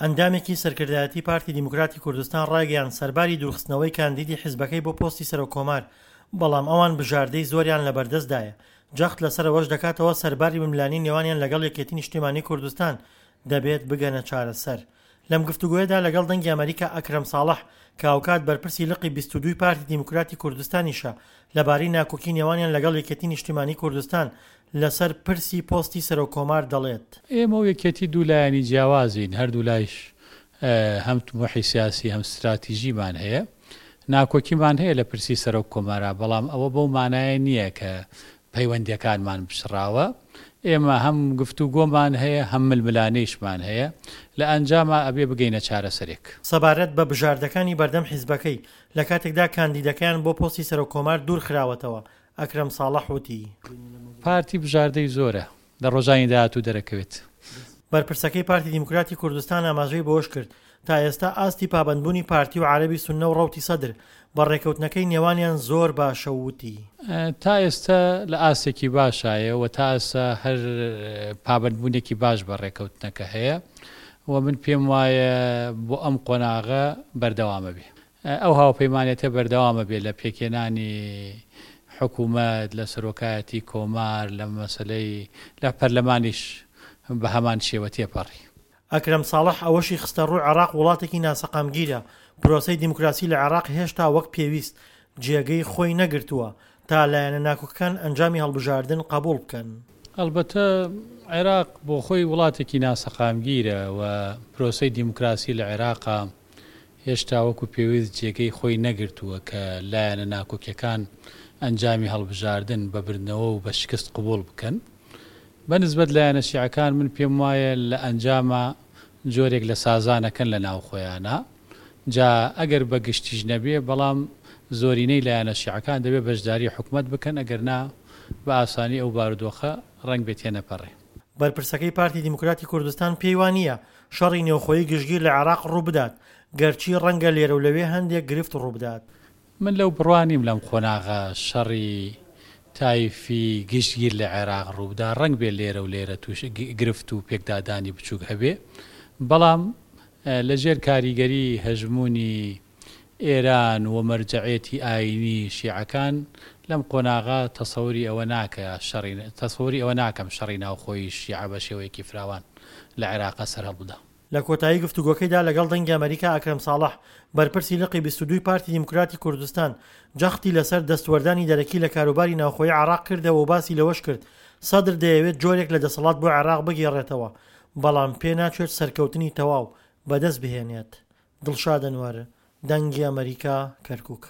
ئەندامێکی سەرکردایەتی پارتی دیموکراتی کوردستان ڕایگەیاند سەرباری دوورخستنەوەی کاندیدی حزبەکەی بۆ پۆستی سەرۆککۆمار، بەڵام ئەوان بژاردەی زۆریان لەبەردەستدایە، جەخت لەسەر ئەوەش دەکاتەوە سەرباری ململانێی نێوانیان لەگەڵ یەکێتی نیشتیمانی کوردستان دەبێت بگەنە چارەسەر. لەم گفتوگۆیەدا لەگەڵ دەنگی ئەمەریکا ئەکرەم ساڵح کە هاوکات بەرپرسی لقی 22 ی پارتی دیموکراتی کوردستانیشە لەبارەی ناکۆکی نێوانیان لەگەڵ یەکێتی نیشتیمانی کوردستان لەسەر پرسی پۆستی سەرۆک کۆمار دەڵێت. ئێمە و یەکێتی دوو لایەنی جیاوازین، هەردوولایش هەم تموحی سیاسی هەم ستراتیژیمان هەیە، ناکۆکیمان هەیە لە پرسی سەرۆک کۆمارا، بەڵام ئەوە بەو مانایە نییە کە پەیوەندییەکانمان پچڕاوە، ئێمە هەم گفتوگۆمان هەیە هەم ململانێیشمان هەیە، لە ئەنجاما ئەبێ بگەینە چارەسەرێک. سەبارەت بە بژاردەکانی بەردەم حیزبەکەی، لە کاتێکدا کاندیدەکەیان بۆ پۆستی سەرۆک کۆمار دوورخراوەتەوە، ئەکرەم ساڵح وتی. پارتی بژاردەی زۆرە، لە ڕۆژانی داهاتوو دەرەکەوێت. بەرپرسەکەی پارتی دیموکراتی کوردستان ئاماژەی بەوەشکرد، تا ئێستا ئاستی پابەندبوونی پارتی و عەرەبی سوننە و ڕەوتی سەدر بە ڕێککەوتنەکەی نێوانیان زۆر باشە و وتی. تا ئێستا لە ئاستێکی باشایە و تا ئێستا هەر پابەندبوونێکی باش بە ڕێککەوتنەکە هەیە و من پێم وایە بۆ ئەم قۆناغە بەردەوامەبێ. ئەو هاوپەیمانێتە بەردەوام ئەبێ لە پێکهێنانی حکوومەت، لە سەرۆکایەتی کۆمار، لە مەسەلەی لە پەرلەمانیش بە هەمان شێوە تێپەڕی. ئەکرەم ساڵح ئەوەشی خستەڕوو، عێراق وڵاتێکی ناسەقامگیرە، پرۆسەی دیموکراسی لە عێراق هێشتا وەک پێویست جێگەی خۆی نەگرتووە تا لایەنە ناکۆکەکان ئەنجامی هەڵبژاردن قەبوڵ بکەن. ئەڵبەتە عێراق بۆخۆی وڵاتێکی ناسەقامگیرە و پرۆسەی دیموکراسی لە عێراقا هێشتا وەکو پێویست جێگەی خۆی نەگرتووە کە لایەنە ناکۆکیەکان ئەنجامی هەڵبژاردن بە بردنەوە و بە شکست قبوڵ بکەن. بە نسبەت لایەنە شیعەکان من پێم وایە لە ئەنجاما جۆرێک لە سازان ئەکەن لە ناو خۆیانا جا ئەگەر بە گشتیش نەبێ بەڵام زۆرینەی لایەنە شیعەکان دەبێ بەشداری حکومەت بکەن ئەگەر نا بە ئاسانی ئەو بارودۆخە ڕەنگبێ تێنەپەڕێ. بەرپرسەکەی پارتی دیموکراتی کوردستان پێی وا نییە شەڕی نێوخۆیی گشتگیر لە عێراق ڕووبدات، گەرچی ڕەنگە لێرە و لەوێ هەندێک گرفت ڕووبدات. من لەو بڕوا نیم لەم قۆناغە شەڕی تایفی گشتگیر لە عێراق ڕووبدا، ڕەنگبێ لێرە و لێرە تووش گرفت و پێکدادانی بچووک هەبێ، بەڵام لەژێر کاریگەری هەژموونی ئێران و مەرجەعێتی ئایینی شیعەکان لەم قۆناغە تەسەوری ئەوە ناکە شەڕی تەسەوری ئەوە ناکەم شەڕی ناوخۆیی شیعە بە شێوەیەکی فراوان لە عێراقا سەرهەڵبدا. لە کۆتایی گفتوگۆکەیدا لەگەڵ دەنگی ئەمەریکا ئەکرەم ساڵح، بەرپرسی لقی 22 ی پارتی دیموکراتی کوردستان، جەختی لەسەر دەستوەردانی دەرەکی لە کاروباری ناوخۆیی عێراق کردەوە و باسی لەوەشکرد، سەدر دەیەوێت جۆرێک لە دەسەڵات بۆ عێراق بگێڕێتەوە، بەڵام پێناچێت سەرکەوتنی تەواو بەدەستبهێنێت. دڵشاد ئەنوەر، دەنگی ئەمەریکا، کەرکوک.